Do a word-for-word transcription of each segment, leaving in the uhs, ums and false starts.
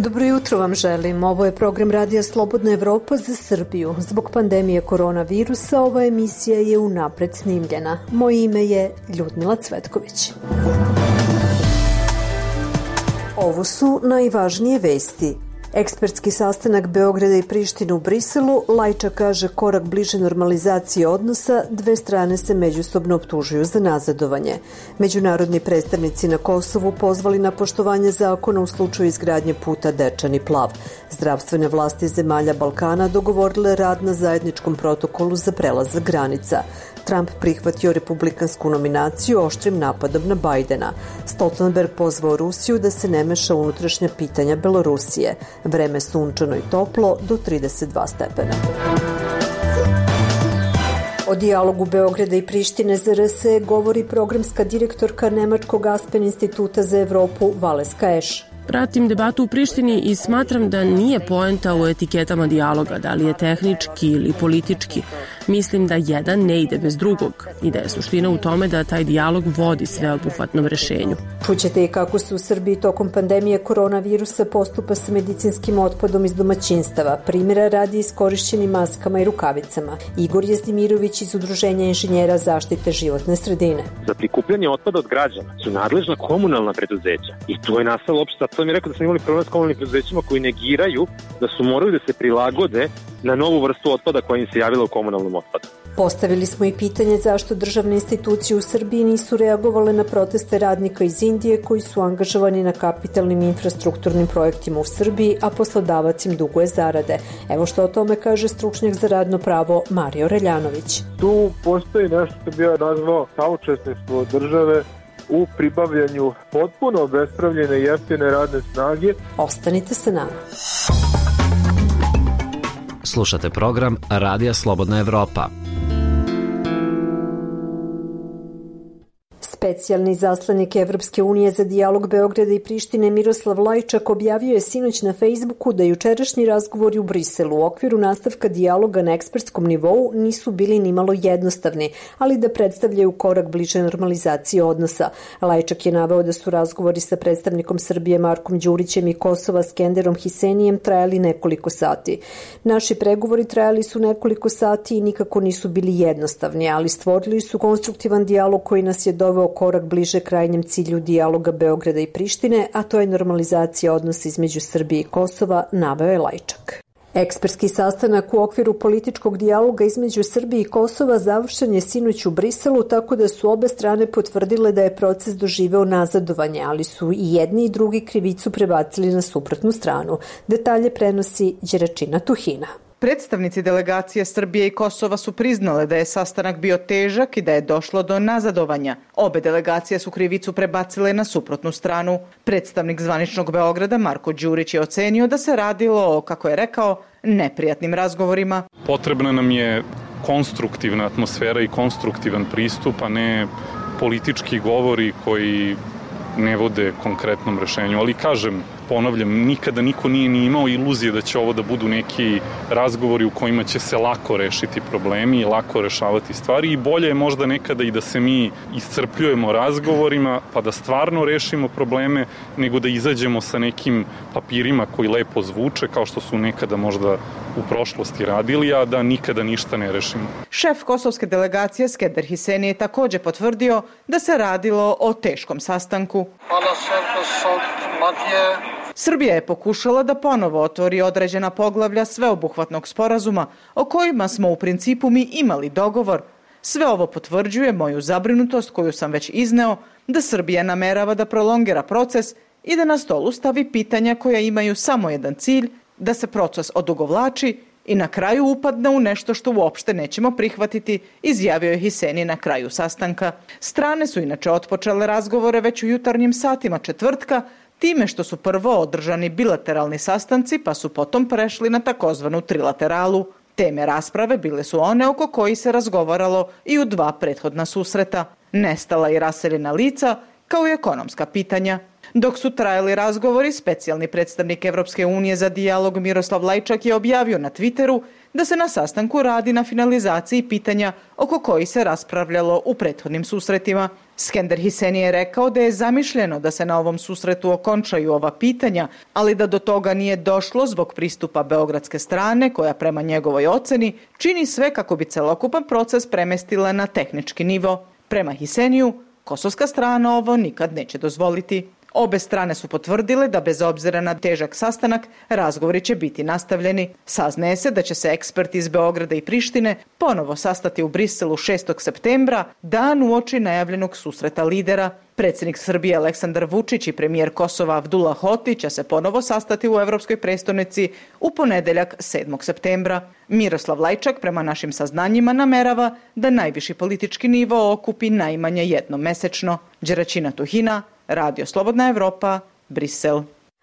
Dobro jutro vam želim. Ovo je program Radija Slobodna Evropa za Srbiju. Zbog pandemije koronavirusa ova emisija je unapred snimljena. Moje ime je Ljudmila Cvetković. Ovo su najvažnije vesti. Ekspertski sastanak Beograda i Prištine u Briselu, Lajča kaže korak bliže normalizaciji odnosa, dve strane se međusobno optužuju za nazadovanje. Međunarodni predstavnici na Kosovu pozvali na poštovanje zakona u slučaju izgradnje puta Dečani Plav. Zdravstvene vlasti zemalja Balkana dogovorile rad na zajedničkom protokolu za prelazak granica. Trump prihvatio republikansku nominaciju oštrim napadom na Bajdena. Stoltenberg pozvao Rusiju da se ne meša u unutrašnja pitanja Belorusije. Vreme sunčano i toplo do trideset dva stepena. O dijalogu Beograda i Prištine za R S govori programska direktorka Nemačkog Aspen instituta za Evropu Valeska Eš. Pratim debatu u Prištini i smatram da nije poenta u etiketama dijaloga, da li je tehnički ili politički. Mislim da jedan ne ide bez drugog i da je suština u tome da taj dijalog vodi sveobuhvatnom rešenju. Čućete i kako se u Srbiji tokom pandemije koronavirusa postupa sa medicinskim otpadom iz domaćinstava, primjera radi iskorišćenim maskama i rukavicama. Igor Jezdimirović iz Udruženja inženjera zaštite životne sredine. Za prikupljanje otpada od građana su nadležna komunalna preduzeća i to je nastalo opšte. To mi je rekao da smo imali problem s komunalnim preduzećima koji negiraju da su morali da se prilagode na novu vrstu otpada koja im se javila u komunalnom otpadu. Postavili smo i pitanje zašto državne institucije u Srbiji nisu reagovale na proteste radnika iz Indije koji su angažovani na kapitalnim infrastrukturnim projektima u Srbiji, a poslodavac im duguje zarade. Evo što o tome kaže stručnjak za radno pravo Mario Reljanović. Tu postoji nešto što bi ja nazvao saučesništvo države u pribavljanju potpuno obespravljene jeftine radne snage. Ostanite sa nama. Slušate program Radija Slobodna Evropa. Specijalni zaslanik Evropske unije za dijalog Beograda i Prištine Miroslav Lajčak objavio je sinoć na Facebooku da jučerašnji razgovori u Briselu u okviru nastavka dijaloga na ekspertskom nivou nisu bili nimalo jednostavni, ali da predstavljaju korak bliže normalizaciji odnosa. Lajčak je naveo da su razgovori sa predstavnikom Srbije Markom Đurićem i Kosova Skenderom Hisenijem trajali nekoliko sati. Naši pregovori trajali su nekoliko sati i nikako nisu bili jednostavni, ali stvorili su konstruktivan dijalog koji nas je doveo korak bliže krajnjem cilju dijaloga Beograda i Prištine, a to je normalizacija odnosa između Srbije i Kosova, naveo je Lajčak. Ekspertski sastanak u okviru političkog dijaloga između Srbije i Kosova završen je sinoć u Briselu, tako da su obe strane potvrdile da je proces doživeo nazadovanje, ali su i jedni i drugi krivicu prebacili na suprotnu stranu. Detalje prenosi Đeračina Tuhina. Predstavnici delegacije Srbije i Kosova su priznale da je sastanak bio težak i da je došlo do nazadovanja. Obe delegacije su krivicu prebacile na suprotnu stranu. Predstavnik zvaničnog Beograda Marko Đurić je ocenio da se radilo o, kako je rekao, neprijatnim razgovorima. Potrebna nam je konstruktivna atmosfera i konstruktivan pristup, a ne politički govori koji ne vode konkretnom rešenju. Ali kažem, ponavljam, nikada niko nije ni imao iluzije da će ovo da budu neki razgovori u kojima će se lako rešiti problemi i lako rešavati stvari i bolje je možda nekada i da se mi iscrpljujemo razgovorima pa da stvarno rešimo probleme nego da izađemo sa nekim papirima koji lepo zvuče kao što su nekada možda u prošlosti radili, a da nikada ništa ne rešimo. Šef kosovske delegacije Skender Hiseni je takođe potvrdio da se radilo o teškom sastanku. Srbija je pokušala da ponovo otvori određena poglavlja sveobuhvatnog sporazuma o kojima smo u principu mi imali dogovor. Sve ovo potvrđuje moju zabrinutost koju sam već izneo da Srbija namerava da prolongira proces i da na stolu stavi pitanja koja imaju samo jedan cilj, da se proces odugovlači i na kraju upadne u nešto što uopšte nećemo prihvatiti, izjavio je Hiseni na kraju sastanka. Strane su inače otpočele razgovore već u jutarnjim satima četvrtka, time što su prvo održani bilateralni sastanci pa su potom prešli na takozvanu trilateralu. Teme rasprave bile su one oko kojih se razgovaralo i u dva prethodna susreta. Nestala i raseljena lica, kao i ekonomska pitanja. Dok su trajali razgovori, specijalni predstavnik Evropske unije za dijalog Miroslav Lajčak je objavio na Twitteru da se na sastanku radi na finalizaciji pitanja oko kojih se raspravljalo u prethodnim susretima. Skender Hiseni je rekao da je zamišljeno da se na ovom susretu okončaju ova pitanja, ali da do toga nije došlo zbog pristupa beogradske strane, koja prema njegovoj oceni čini sve kako bi celokupan proces premestila na tehnički nivo. Prema Hiseniju, kosovska strana ovo nikad neće dozvoliti. Obe strane su potvrdile da bez obzira na težak sastanak, razgovori će biti nastavljeni. Saznaje se da će se eksperti iz Beograda i Prištine ponovo sastati u Briselu šestog septembra, dan uoči najavljenog susreta lidera. Predsjednik Srbije Aleksandar Vučić i premijer Kosova Abdullah Hoti će se ponovo sastati u Evropskoj prestonici u ponedeljak sedmog septembra. Miroslav Lajčak prema našim saznanjima namerava da najviši politički nivo okupi najmanje jednom mesečno. Đeraćina Tuhina, Radio Slobodna Evropa, Brisel.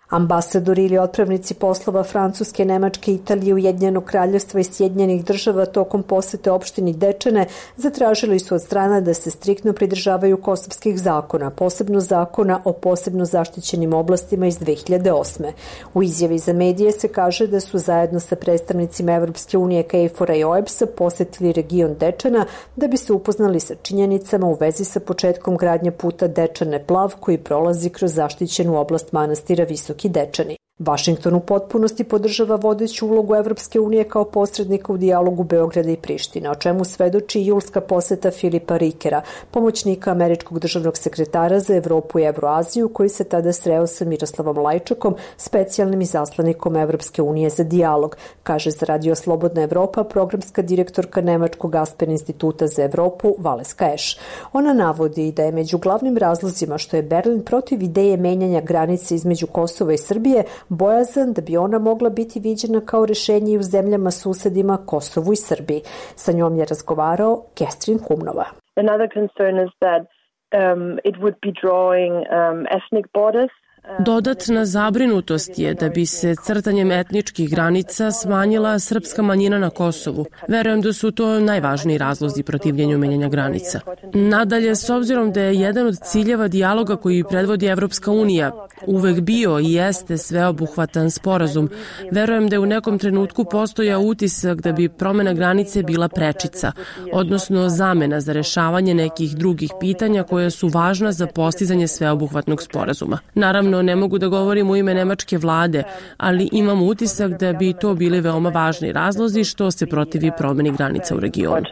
Ambasadori ili otpravnici poslova Francuske, Nemačke, Italije, Ujedinjenog kraljevstva i Sjedinjenih država tokom posete opštini Dečane zatražili su od strana da se striktno pridržavaju kosovskih zakona, posebno zakona o posebno zaštićenim oblastima iz dve hiljade osme. U izjavi za medije se kaže da su zajedno sa predstavnicima Evropske unije, KFOR-a i O E B S-a posetili region Dečana da bi se upoznali sa činjenicama u vezi sa početkom gradnje puta Dečane-Plav koji prolazi kroz zaštićenu oblast manastira Visoki Dečani. Vašington u potpunosti podržava vodeću ulogu Evropske unije kao posrednika u dijalogu Beograda i Prištine, o čemu svedoči julska poseta Filipa Rikera, pomoćnika američkog državnog sekretara za Evropu i Evroaziju, koji se tada sreo sa Miroslavom Lajčakom, specijalnim izaslanikom Evropske unije za dijalog, kaže za Radio Slobodna Evropa programska direktorka Nemačkog Aspen instituta za Evropu Valeska Eš. Ona navodi da je među glavnim razlozima što je Berlin protiv ideje menjanja granice između Kosova i Srbije bojazan da bi ona mogla biti viđena kao rešenje i u zemljama susedima Kosovu i Srbiji. Sa njom je razgovarao Kestrin Kumnova. Another concern is that um, it would be drawing um, ethnic borders. Dodatna zabrinutost je da bi se crtanjem etničkih granica smanjila srpska manjina na Kosovu. Verujem da su to najvažniji razlozi protivljenju menjanja granica. Nadalje, s obzirom da je jedan od ciljeva dijaloga koji predvodi Evropska unija uvek bio i jeste sveobuhvatan sporazum, verujem da je u nekom trenutku postojao utisak da bi promena granice bila prečica, odnosno zamena za rešavanje nekih drugih pitanja koja su važna za postizanje sveobuhvatnog sporazuma. Naravno, ne mogu da govorim u ime nemačke vlade, ali imam utisak da bi to bili veoma važni razlozi što se protivi promeni granica u regionu.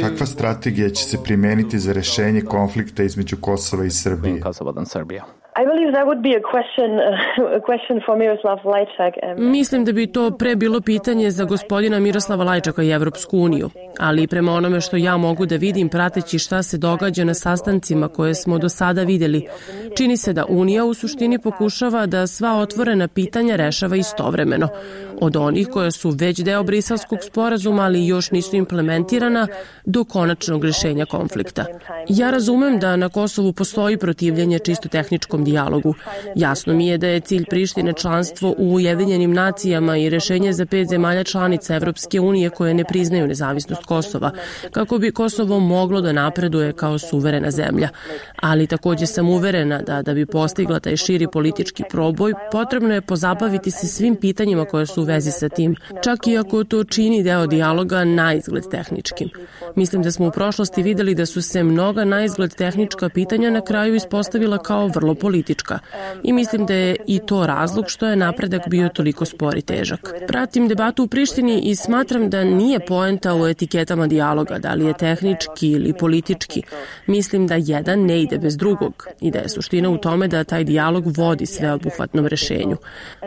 Kakva strategija će se primeniti za rešenje konflikta između Kosova i Srbije? I believe that would be a question, a question for Miroslav Lajčak. Mislim da bi to pre bilo pitanje za gospodina Miroslava Lajčaka i Evropsku uniju, ali prema onome što ja mogu da vidim prateći šta se događa na sastancima koje smo do sada videli, čini se da Unija u suštini pokušava da sva otvorena pitanja rešava istovremeno. Od onih koja su već deo Briselskog sporazuma, ali još nisu implementirana, do konačnog rešenja konflikta. Ja razumem da na Kosovu postoji protivljenje čisto tehničkom dijalogu. Jasno mi je da je cilj Prištine članstvo u Ujedinjenim nacijama i rešenje za pet zemalja članica Evropske unije koje ne priznaju nezavisnost Kosova, kako bi Kosovo moglo da napreduje kao suverena zemlja. Ali takođe sam uverena da da bi postigla taj širi politički proboj, potrebno je pozabaviti se svim pitanjima koje su u vezi sa tim, čak i ako to čini deo dijaloga na izgled tehničkim. Mislim da smo u prošlosti videli da su se mnoga na izgled tehnička pitanja na kraju ispostavila kao vrlo politička. I mislim da je i to razlog što je napredak bio toliko spor i težak. Pratim debatu u Prištini i smatram da nije poenta u etiketama dijaloga, da li je tehnički ili politički. Mislim da jedan ne ide bez drugog i da je suština u tome da taj dijalog vodi sveobuhvatnom rešenju.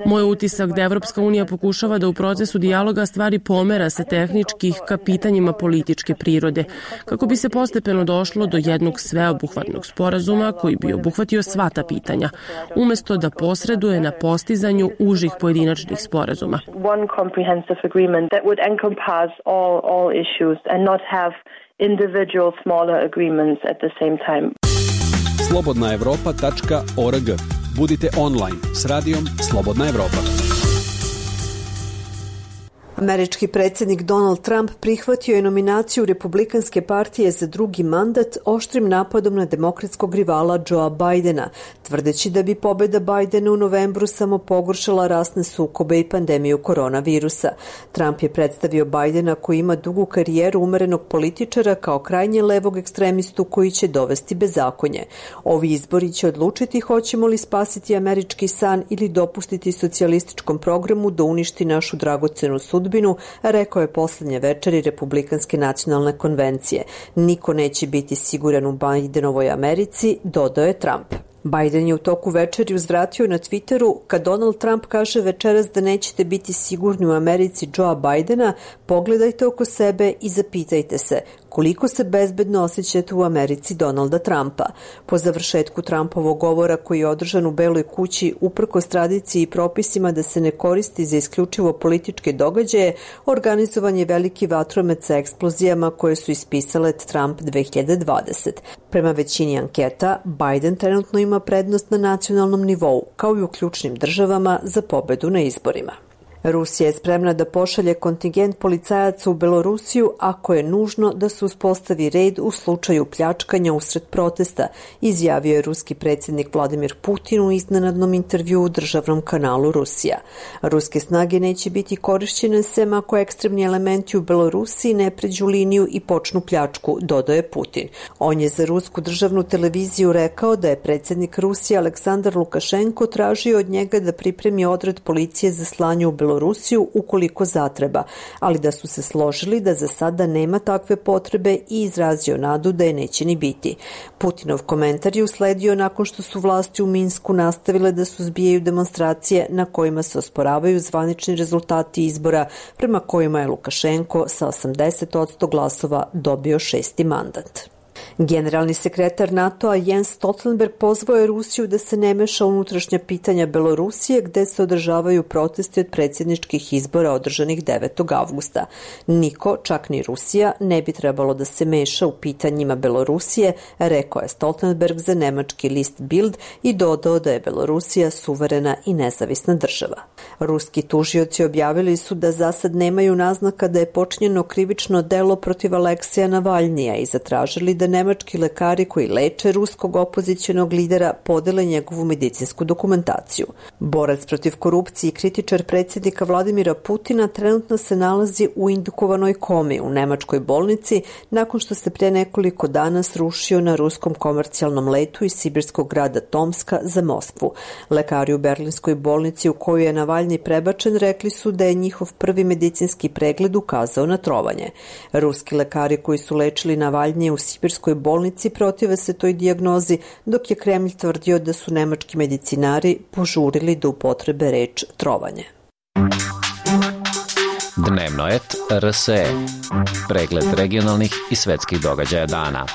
Moj utisak da Evropska unija pokušava da u procesu dijaloga stvari pomera sa tehničkih ka pitanjima političke prirode, kako bi se postepeno došlo do jednog sveobuhvatnog sporazuma koji bi obuhvatio sva ta pitanja, umesto da posreduje na postizanju užih pojedinačnih sporazuma. One comprehensive agreement that would encompass all all issues and not have individual smaller agreements at the same time. slobodna evropa tačka org. Budite online s radijom Slobodna Evropa. Američki predsjednik Donald Trump prihvatio je nominaciju Republikanske partije za drugi mandat oštrim napadom na demokratskog rivala Joea Bidena, tvrdeći da bi pobjeda Bidena u novembru samo pogoršala rasne sukobe i pandemiju koronavirusa. Trump je predstavio Bidena koji ima dugu karijeru umerenog političara kao krajnje levog ekstremistu koji će dovesti bezakonje. Ovi izbori će odlučiti hoćemo li spasiti američki san ili dopustiti socijalističkom programu da uništi našu dragocenu sudbinu, rekao je poslednje večeri Republikanske nacionalne konvencije. Niko neće biti siguran u Bidenovoj Americi, dodao je Trump. Biden je u toku večeri uzvratio na Twitteru: kad Donald Trump kaže večeras da nećete biti sigurni u Americi Joea Bidena, pogledajte oko sebe i zapitajte se koliko se bezbedno osjećate u Americi Donalda Trumpa. Po završetku Trumpovog govora koji je održan u Beloj kući uprkos tradiciji i propisima da se ne koristi za isključivo političke događaje, organizovan je veliki vatromet sa eksplozijama koje su ispisale Trump dve hiljade dvadesete. Prema većini anketa, Biden trenutno ima prednost na nacionalnom nivou, kao i u ključnim državama za pobedu na izborima. Rusija je spremna da pošalje kontingent policajaca u Belorusiju ako je nužno da se uspostavi red u slučaju pljačkanja usred protesta, izjavio je ruski predsjednik Vladimir Putin u iznenadnom intervjuu u državnom kanalu Rusija. Ruske snage neće biti korišćene sem ako ekstremni elementi u Belorusiji ne pređu liniju i počnu pljačku, dodao je Putin. On je za rusku državnu televiziju rekao da je predsjednik Rusije Aleksandar Lukašenko tražio od njega da pripremi odred policije za slanje u Belorusiju Rusiju ukoliko zatreba, ali da su se složili da za sada nema takve potrebe i izrazio nadu da je neće ni biti. Putinov komentar je usledio nakon što su vlasti u Minsku nastavile da suzbijaju demonstracije na kojima se osporavaju zvanični rezultati izbora prema kojima je Lukašenko sa osamdeset posto glasova dobio šesti mandat. Generalni sekretar NATO-a Jens Stoltenberg pozvao je Rusiju da se ne meša u unutrašnja pitanja Belorusije gde se održavaju protesti od predsjedničkih izbora održanih devetog avgusta. Niko, čak ni Rusija, ne bi trebalo da se meša u pitanjima Belorusije, rekao je Stoltenberg za nemački list Bild i dodao da je Belorusija suverena i nezavisna država. Ruski tužioci objavili su da za sad nemaju naznaka da je počinjeno krivično delo protiv Aleksija Navalnija i zatražili da nemački lekari koji leče ruskog opozicionog lidera podele njegovu medicinsku dokumentaciju. Borac protiv korupcije i kritičar predsjednika Vladimira Putina trenutno se nalazi u indukovanoj komi u nemačkoj bolnici nakon što se pre nekoliko dana srušio na ruskom komercijalnom letu iz sibirskog grada Tomska za Moskvu. Lekari u berlinskoj bolnici u koju je Navalnji prebačen rekli su da je njihov prvi medicinski pregled ukazao na trovanje. Ruski lekari koji su lečili Navalnje u sibirskoj bolnici protive se toj dijagnozi, dok je Kremlj tvrdio da su nemački medicinari požurili da upotrebe reč trovanje. Dnevnoet R S E. Pregled regionalnih i svetskih događaja dana.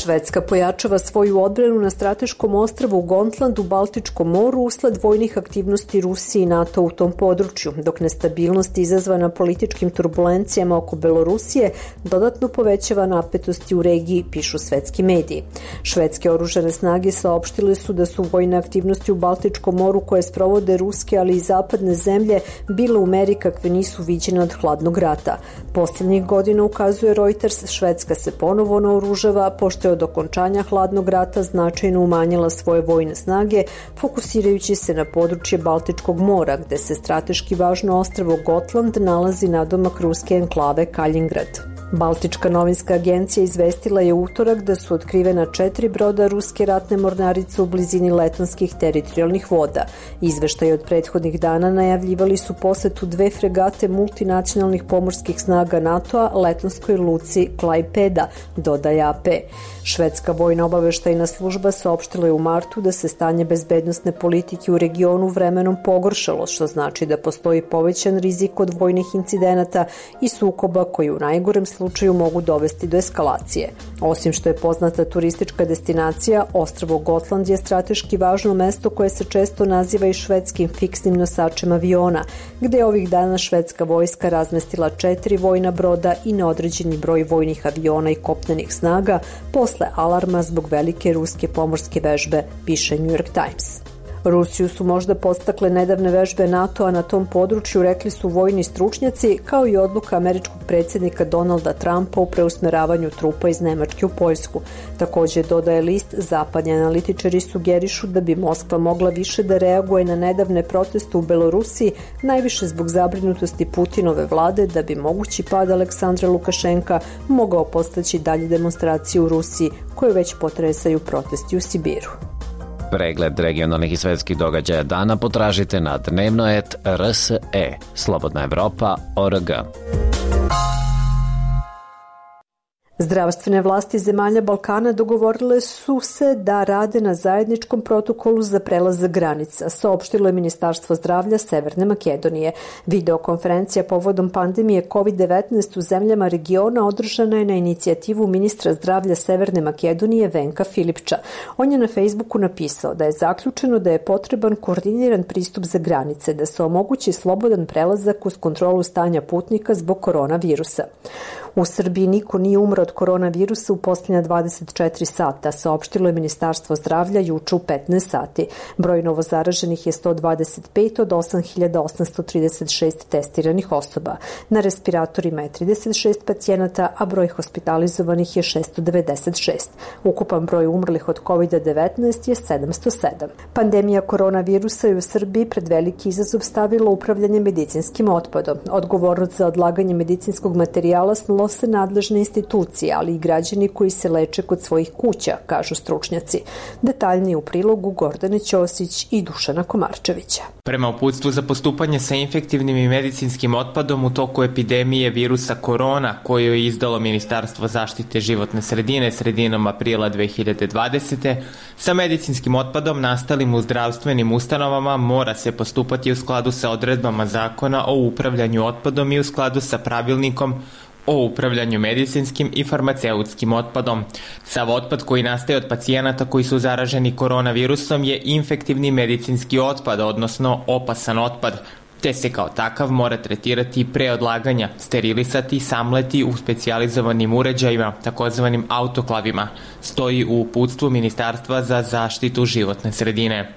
Švedska pojačava svoju odbranu na strateškom ostrvu Gotland u Baltičkom moru usled vojnih aktivnosti Rusije i NATO u tom području, dok nestabilnost izazvana političkim turbulencijama oko Belorusije dodatno povećava napetosti u regiji, pišu svetski mediji. Švedske oružane snage saopštile su da su vojne aktivnosti u Baltičkom moru koje sprovode ruske, ali i zapadne zemlje bile u meri kakve nisu viđene od hladnog rata. Posljednjih godina, ukazuje Reuters, Švedska se ponovo naoružava, pošto je od okončanja hladnog rata značajno umanjila svoje vojne snage, fokusirajući se na područje Baltičkog mora, gde se strateški važno ostrvo Gotland nalazi nadomak ruske enklave Kaljingrad. Baltička novinska agencija izvestila je utorak da su otkrivena četiri broda ruske ratne mornarice u blizini letonskih teritorijalnih voda. Izveštaje od prethodnih dana najavljivali su posetu dve fregate multinacionalnih pomorskih snaga NATO-a letonskoj luci Klaipeda, dodaje A P. Švedska vojna obaveštajna služba saopštila je u martu da se stanje bezbednosne politike u regionu vremenom pogoršalo, što znači da postoji povećan rizik od vojnih incidenata i sukoba koji u najgorem slučaju mogu dovesti do eskalacije. Osim što je poznata turistička destinacija, ostrvo Gotland je strateški važno mesto koje se često naziva i švedskim fiksnim nosačem aviona, gde je ovih dana švedska vojska razmestila četiri vojna broda i neodređeni broj vojnih aviona i kopnenih snaga posle alarma zbog velike ruske pomorske vežbe, piše New York Times. Rusiju su možda podstakle nedavne vežbe NATO-a na tom području, rekli su vojni stručnjaci, kao i odluka američkog predsjednika Donalda Trumpa u preusmeravanju trupa iz Nemačke u Poljsku. Također, dodaje list, zapadni analitičari sugerišu da bi Moskva mogla više da reaguje na nedavne proteste u Belorusiji, najviše zbog zabrinutosti Putinove vlade da bi mogući pad Aleksandra Lukašenka mogao postaći dalje demonstracije u Rusiji, koje već potresaju protesti u Sibiru. Pregled regionalnih i svetskih događaja dana potražite na dnevnoet R S E, Slobodna Evropa, O R G. Zdravstvene vlasti zemalja Balkana dogovorile su se da rade na zajedničkom protokolu za prelazak granica, saopštilo je Ministarstvo zdravlja Severne Makedonije. Videokonferencija povodom pandemije kovid devetnaest u zemljama regiona održana je na inicijativu ministra zdravlja Severne Makedonije Venka Filipča. On je na Facebooku napisao da je zaključeno da je potreban koordiniran pristup za granice, da se omogući slobodan prelazak uz kontrolu stanja putnika zbog koronavirusa. U Srbiji niko nije umro od koronavirusa u posljednja dvadeset četiri sata, saopštilo je Ministarstvo zdravlja juče u petnaest sati. Broj novozaraženih je sto dvadeset pet od osam hiljada osamsto trideset šest testiranih osoba. Na respiratorima je trideset šest pacijenata, a broj hospitalizovanih je šesto devedeset šest. Ukupan broj umrlih od kovid devetnaest je sedamsto sedam. Pandemija koronavirusa je u Srbiji pred veliki izazov stavila upravljanje medicinskim otpadom. Odgovornost za odlaganje medicinskog materijala snose nadležne institucije, ali i građani koji se leče kod svojih kuća, kažu stručnjaci. Detaljnije u prilogu Gordane Ćosić i Dušana Komarčevića. Prema uputstvu za postupanje sa infektivnim i medicinskim otpadom u toku epidemije virusa korona, koju je izdalo Ministarstvo zaštite životne sredine sredinom aprila dve hiljade dvadesete. sa medicinskim otpadom nastalim u zdravstvenim ustanovama mora se postupati u skladu sa odredbama Zakona o upravljanju otpadom i u skladu sa pravilnikom o upravljanju medicinskim i farmaceutskim otpadom. Sav otpad koji nastaje od pacijenata koji su zaraženi koronavirusom je infektivni medicinski otpad, odnosno opasan otpad, te se kao takav mora tretirati pre odlaganja, sterilisati i samleti u specijalizovanim uređajima, takozvanim autoklavima, stoji u uputstvu Ministarstva za zaštitu životne sredine.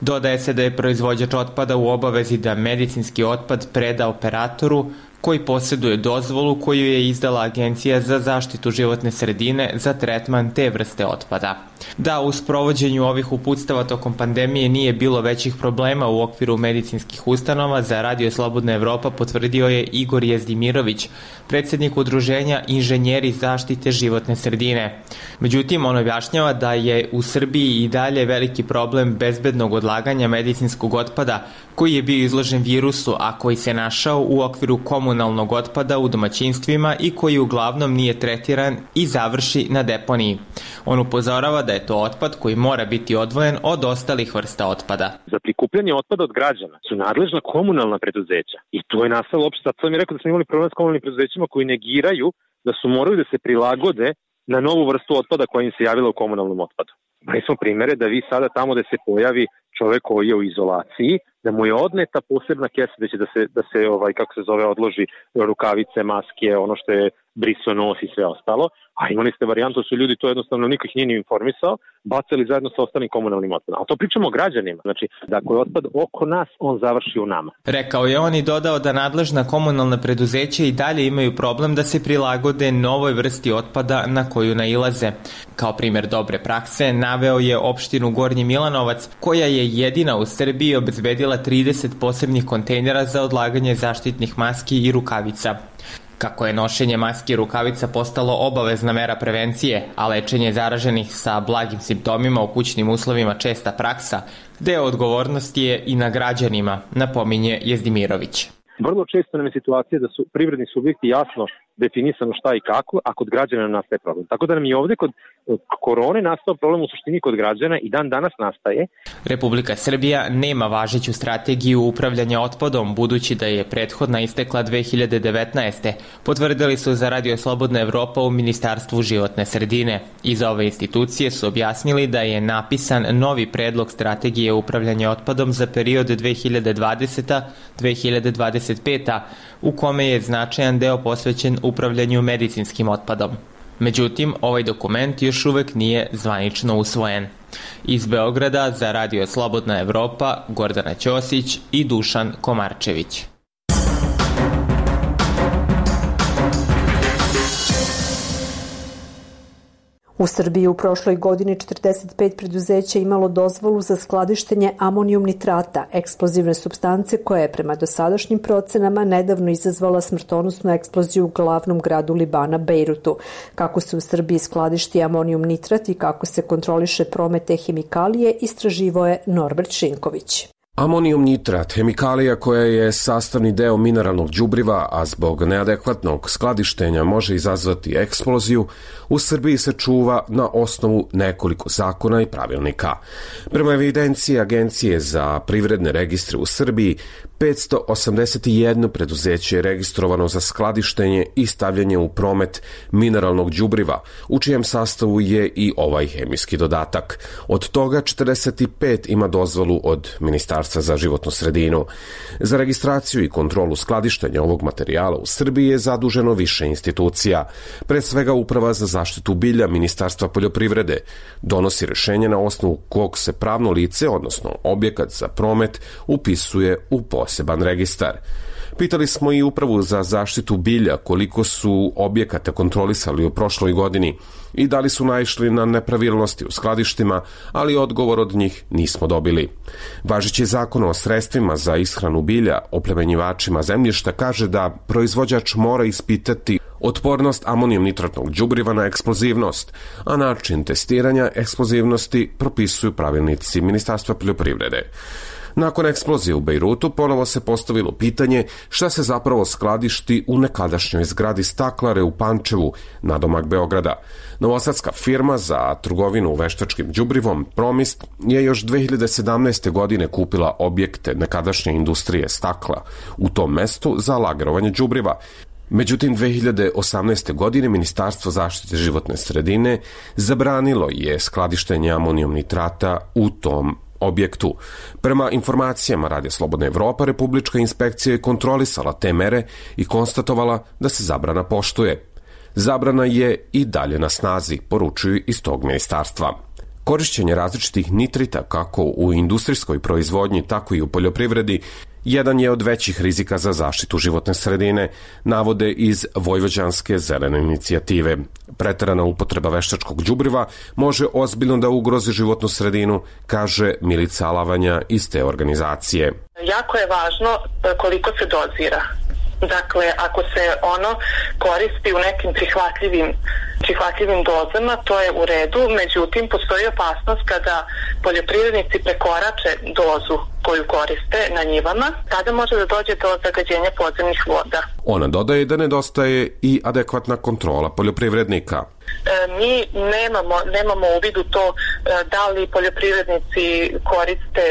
Dodaje se da je proizvođač otpada u obavezi da medicinski otpad preda operatoru koji posjeduje dozvolu koju je izdala Agencija za zaštitu životne sredine za tretman te vrste otpada. Da u sprovođenju ovih uputstava tokom pandemije nije bilo većih problema u okviru medicinskih ustanova, za Radio Slobodna Evropa potvrdio je Igor Jezdimirović, predsjednik udruženja Inženjeri zaštite životne sredine. Međutim, on objašnjava da je u Srbiji i dalje veliki problem bezbednog odlaganja medicinskog otpada koji je bio izložen virusu, a koji se našao u okviru komunalnog otpada u domaćinstvima i koji uglavnom nije tretiran i završi na deponiji. On upozorava da je to otpad koji mora biti odvojen od ostalih vrsta otpada. Za prikupljanje otpada od građana su nadležna komunalna preduzeća i to je nastalo opšte. Sad sam mi rekao da smo imali problem s komunalnim preduzećima koji negiraju da su morali da se prilagode na novu vrstu otpada koja im se javila u komunalnom otpadu. Imali smo primere da vi sada tamo da se pojavi čovek koji je u izolaciji, da mu je odneta posebna kesa da će da se, da se ovaj, kako se zove, odloži rukavice, maske, ono što je briso nos i sve ostalo. A imali ste varijantu, su ljudi to jednostavno niko ih nije ni informisao, bacali zajedno sa ostalim komunalnim otpadom. A to pričamo o građanima. Znači, da ako je otpad oko nas, on završi u nama. Rekao je on i dodao da nadležna komunalna preduzeća i dalje imaju problem da se prilagode novoj vrsti otpada na koju nailaze. Kao primjer dobre prakse naveo je opštinu Gornji Milanovac, koja je jedina u Srbiji obezbedila trideset posebnih kontejnera za odlaganje zaštitnih maski i rukavica. Kako je nošenje maski i rukavica postalo obavezna mera prevencije, a lečenje zaraženih sa blagim simptomima u kućnim uslovima česta praksa, deo odgovornosti je i na građanima, napominje Jezdimirović. Vrlo često nam je situacija da su privredni subjekti jasno definisano šta i kako, a kod građana nastaje problem. Tako da nam i ovde kod korone nastao problem u suštini kod građana i dan danas nastaje. Republika Srbija nema važeću strategiju upravljanja otpadom, budući da je prethodna istekla dve hiljade devetnaeste. Potvrdili su za Radio Slobodna Evropa u Ministarstvu životne sredine. Iz ove institucije su objasnili da je napisan novi predlog strategije upravljanja otpadom za period dve hiljade dvadeseta do dve hiljade dvadeset peta. u kome je značajan deo posvećen upravljanju medicinskim otpadom. Međutim, ovaj dokument još uvek nije zvanično usvojen. Iz Beograda za Radio Slobodna Evropa Gordana Ćosić i Dušan Komarčević. U Srbiji u prošloj godini četrdeset pet preduzeća imalo dozvolu za skladištenje amonijum nitrata, eksplozivne supstance koja je prema dosadašnjim procenama nedavno izazvala smrtonosnu eksploziju u glavnom gradu Libana, Bejrutu. Kako se u Srbiji skladišti amonijum nitrat i kako se kontroliše promet te hemikalije, istraživao je Norbert Šinković. Amonijum nitrat, hemikalija koja je sastavni deo mineralnog đubriva, a zbog neadekvatnog skladištenja može izazvati eksploziju, u Srbiji se čuva na osnovu nekoliko zakona i pravilnika. Prema evidenciji Agencije za privredne registre u Srbiji, petsto osamdeset jedno preduzeće je registrovano za skladištenje i stavljanje u promet mineralnog đubriva, u čijem sastavu je i ovaj hemijski dodatak. Od toga četrdeset pet ima dozvolu od Ministarstva za životnu sredinu. Za registraciju i kontrolu skladištenja ovog materijala u Srbiji je zaduženo više institucija. Pre svega Uprava za zaštitu bilja Ministarstva poljoprivrede donosi rešenje na osnovu kog se pravno lice, odnosno objekat za promet, upisuje u poseban registar. Pitali smo i Upravu za zaštitu bilja koliko su objekata kontrolisali u prošloj godini i da li su naišli na nepravilnosti u skladištima, ali odgovor od njih nismo dobili. Važeći zakon o sredstvima za ishranu bilja oplemenjivačima zemljišta kaže da proizvođač mora ispitati otpornost amonijum nitratnog đubriva na eksplozivnost, a način testiranja eksplozivnosti propisuju pravilnici Ministarstva poljoprivrede. Nakon eksplozije u Bejrutu ponovo se postavilo pitanje šta se zapravo skladišti u nekadašnjoj zgradi Staklare u Pančevu, nadomak Beograda. Novosadska firma za trgovinu veštačkim đubrivom Promist je još dve hiljade sedamnaeste. godine kupila objekte nekadašnje industrije stakla u tom mestu za lagrovanje đubriva. Međutim, dve hiljade osamnaeste. godine Ministarstvo zaštite životne sredine zabranilo je skladištenje amonijum nitrata u tom objektu. Prema informacijama Radio Slobodna Evropa, Republička inspekcija je kontrolisala te mere i konstatovala da se zabrana poštuje. Zabrana je i dalje na snazi, poručuju iz tog ministarstva. Korišćenje različitih nitrita kako u industrijskoj proizvodnji, tako i u poljoprivredi jedan je od većih rizika za zaštitu životne sredine, navode iz Vojvođanske zelene inicijative. Preterana upotreba veštačkog đubriva može ozbiljno da ugrozi životnu sredinu, kaže Milica Alavanja iz te organizacije. Jako je važno koliko se dozira. Dakle, ako se ono koristi u nekim prihvatljivim, prihvatljivim dozama, to je u redu, međutim, postoji opasnost kada poljoprivrednici prekorače dozu koju koriste na njivama, tada može da dođe do zagađenja podzemnih voda. Ona dodaje da nedostaje i adekvatna kontrola poljoprivrednika. Mi nemamo, nemamo u vidu to da li poljoprivrednici koriste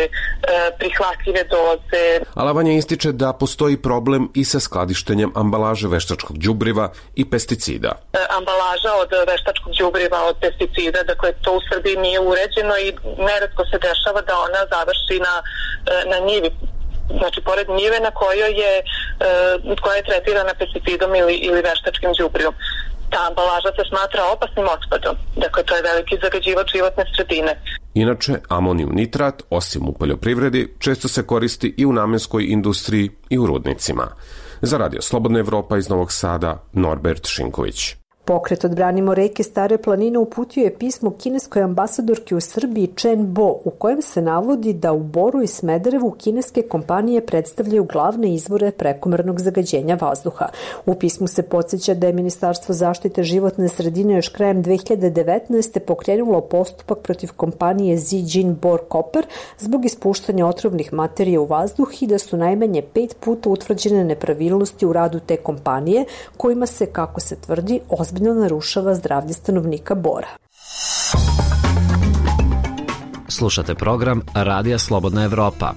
prihvatljive doze. Alavanja ističe da postoji problem i sa skladištenjem ambalaže veštačkog đubriva i pesticida. Ambalaža od veštačkog đubriva, od pesticida, dakle to u Srbiji nije uređeno i neretko se dešava da ona završi na, na njivi. Znači, pored njive na kojoj je, koja je tretirana pesticidom ili, ili veštačkim đubrivom. Ta ambalaža se smatra opasnim otpadom. Dakle, to je veliki zagađivač životne sredine. Inače, amonijum nitrat, osim u poljoprivredi, često se koristi i u namenskoj industriji i u rudnicima. Za Radio Slobodna Evropa iz Novog Sada, Norbert Šinković. Pokret Odbranimo reke Stare planine uputio je pismo kineskoj ambasadorki u Srbiji Chen Bo, u kojem se navodi da u Boru i Smederevu kineske kompanije predstavljaju glavne izvore prekomernog zagađenja vazduha. U pismu se podsjeća da je Ministarstvo zaštite životne sredine još krajem dve hiljade devetnaeste. pokrenulo postupak protiv kompanije Zijin Bor Copper zbog ispuštanja otrovnih materija u vazduh i da su najmanje pet puta utvrđene nepravilnosti u radu te kompanije, kojima se, kako se tvrdi, ozbiljno narušava zdravlje stanovnika Bora. Slušate program Radija Slobodna Evropa.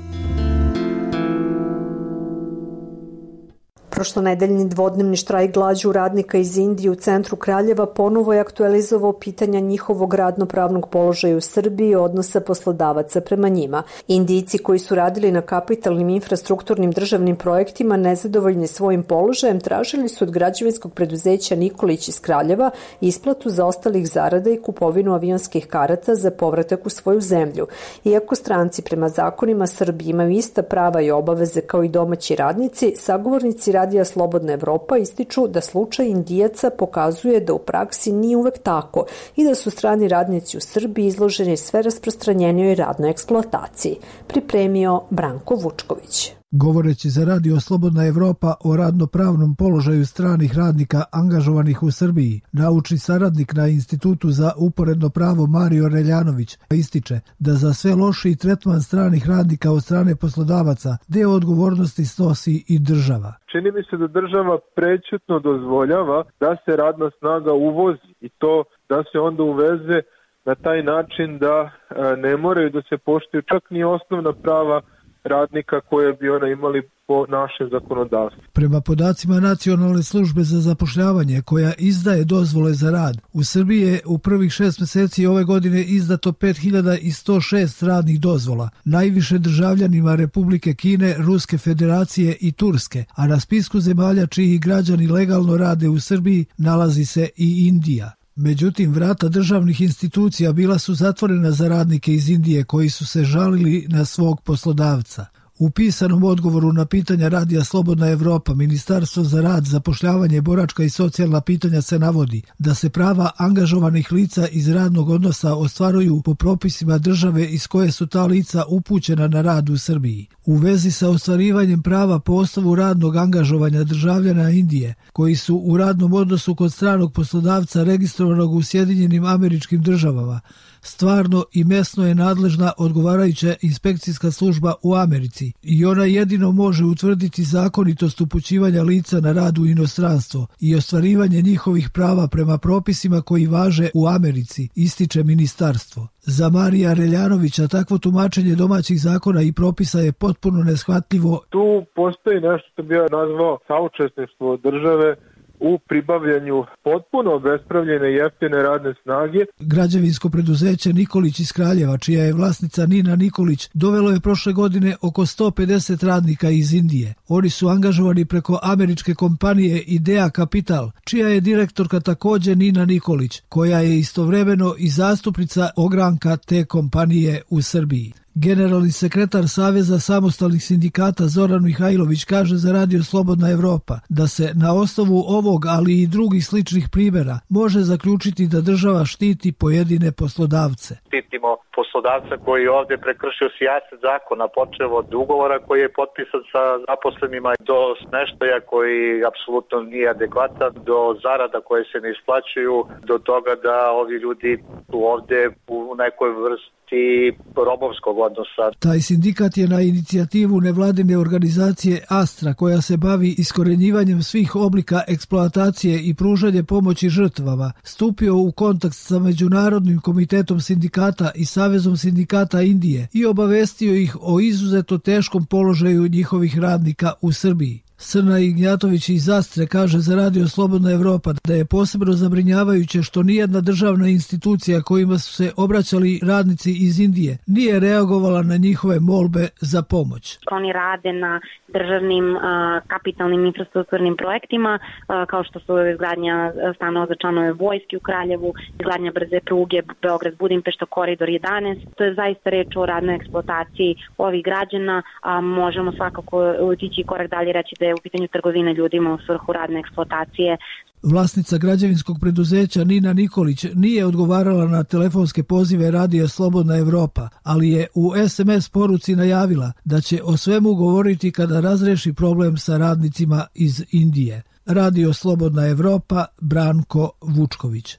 Prošlonedeljni dvodnevni štrajk glađu radnika iz Indije u centru Kraljeva ponovo je aktualizovao pitanja njihovog radnopravnog položaja u Srbiji i odnosa poslodavaca prema njima. Indijci koji su radili na kapitalnim infrastrukturnim državnim projektima nezadovoljni svojim položajem tražili su od građevinskog preduzeća Nikolić iz Kraljeva isplatu zaostalih zarada i kupovinu avionskih karata za povratak u svoju zemlju. Iako stranci prema zakonima Srbije imaju ista prava i obaveze kao i domaći radnici, sagovornici Radija Slobodna Evropa ističu da slučaj Indijaca pokazuje da u praksi nije uvek tako i da su strani radnici u Srbiji izloženi sve rasprostranjenijoj radnoj eksploataciji. Pripremio Branko Vučković. Govoreći za Radio Slobodna Evropa o radnopravnom položaju stranih radnika angažovanih u Srbiji, naučni saradnik na Institutu za uporedno pravo Mario Reljanović ističe da za sve lošiji tretman stranih radnika od strane poslodavaca deo odgovornosti snosi i država. Čini mi se da država prećutno dozvoljava da se radna snaga uvozi i to da se onda uveze na taj način da ne moraju da se poštuju čak ni osnovna prava radnika koje bi ona imali po našem zakonodavstvu. Prema podacima Nacionalne službe za zapošljavanje koja izdaje dozvole za rad, u Srbiji je u prvih šest meseci ove godine izdato pet hiljada sto šest radnih dozvola, najviše državljanima Republike Kine, Ruske federacije i Turske, a na spisku zemalja čiji građani legalno rade u Srbiji nalazi se i Indija. Međutim, vrata državnih institucija bila su zatvorena za radnike iz Indije koji su se žalili na svog poslodavca. U pisanom odgovoru na pitanja Radija Slobodna Evropa, Ministarstvo za rad, zapošljavanje, boračka i socijalna pitanja se navodi da se prava angažovanih lica iz radnog odnosa ostvaruju po propisima države iz koje su ta lica upućena na rad u Srbiji. U vezi sa ostvarivanjem prava po osnovu radnog angažovanja državljana Indije, koji su u radnom odnosu kod stranog poslodavca registrovanog u Sjedinjenim Američkim Državama, stvarno i mesno je nadležna odgovarajuća inspekcijska služba u Americi i ona jedino može utvrditi zakonitost upućivanja lica na rad u inostranstvo i ostvarivanje njihovih prava prema propisima koji važe u Americi, ističe ministarstvo. Za Marija Reljanovića takvo tumačenje domaćih zakona i propisa je potpuno neshvatljivo. Tu postoji nešto što bi ja nazvao saučesništvo države u pribavljanju potpuno obespravljene jeftine radne snage. Građevinsko preduzeće Nikolić iz Kraljeva, čija je vlasnica Nina Nikolić, dovelo je prošle godine oko sto pedeset radnika iz Indije. Oni su angažovani preko američke kompanije Idea Capital, čija je direktorka također Nina Nikolić, koja je istovremeno i zastupnica ogranka te kompanije u Srbiji. Generalni sekretar Saveza samostalnih sindikata Zoran Mihajlović kaže za Radio Slobodna Evropa da se na osnovu ovog, ali i drugih sličnih primjera može zaključiti da država štiti pojedine poslodavce. Štitimo poslodavca koji je ovdje prekršio sijaset zakona, počeo od ugovora koji je potpisan sa zaposlenima do smeštaja koji apsolutno nije adekvatan, do zarada koje se ne isplaćuju, do toga da ovi ljudi su ovdje u nekoj vrsti i robovskog odnosa. Taj sindikat je na inicijativu nevladine organizacije Astra, koja se bavi iskorenjivanjem svih oblika eksploatacije i pružanje pomoći žrtvama, stupio u kontakt sa Međunarodnim komitetom sindikata i Savezom sindikata Indije i obavestio ih o izuzetno teškom položaju njihovih radnika u Srbiji. Srna Ignjatović iz Astre kaže za Radio Slobodna Evropa da je posebno zabrinjavajuće što nijedna državna institucija kojima su se obraćali radnici iz Indije nije reagovala na njihove molbe za pomoć. Oni rade na državnim a, kapitalnim infrastrukturnim projektima a, kao što su izgradnja stanova za članove vojske u Kraljevu, izgradnja brze pruge Beograd-Budimpešta, koridor jedanaest. To je zaista reč o radnoj eksploataciji ovih građana, a možemo svakako otići korak dalje reći da je u pitanju trgovine ljudima u svrhu radne eksploatacije. Vlasnica građevinskog preduzeća Nina Nikolić nije odgovarala na telefonske pozive Radija Slobodna Evropa, ali je u es em es poruci najavila da će o svemu govoriti kada razreši problem sa radnicima iz Indije. Radio Slobodna Evropa, Branko Vučković.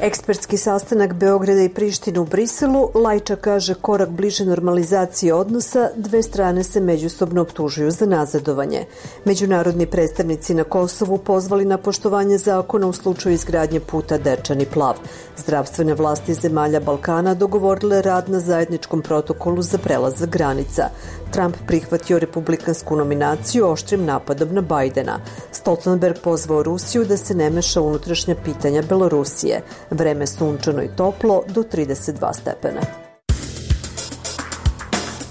Ekspertski sastanak Beograda i Prištine u Briselu, Lajča kaže korak bliže normalizaciji odnosa, dve strane se međusobno optužuju za nazadovanje. Međunarodni predstavnici na Kosovu pozvali na poštovanje zakona u slučaju izgradnje puta Dečani Plav. Zdravstvene vlasti zemalja Balkana dogovorile rad na zajedničkom protokolu za prelazak granica. Trump prihvatio republikansku nominaciju oštrim napadom na Bajdena. Stoltenberg pozvao Rusiju da se ne meša u unutrašnja pitanja Belorusije. Vreme sunčano i toplo do trideset dva stepena.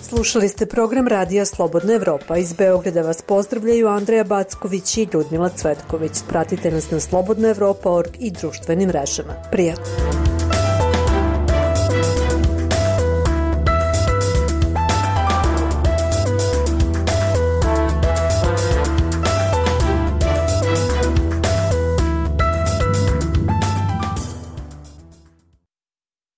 Slušali ste program Radija Slobodna Evropa. Iz Beograda vas pozdravljaju Andreja Backović i Ljudmila Cvetković. Pratite nas na slobodna evropa tačka org i društvenim mrežama. Prijatno!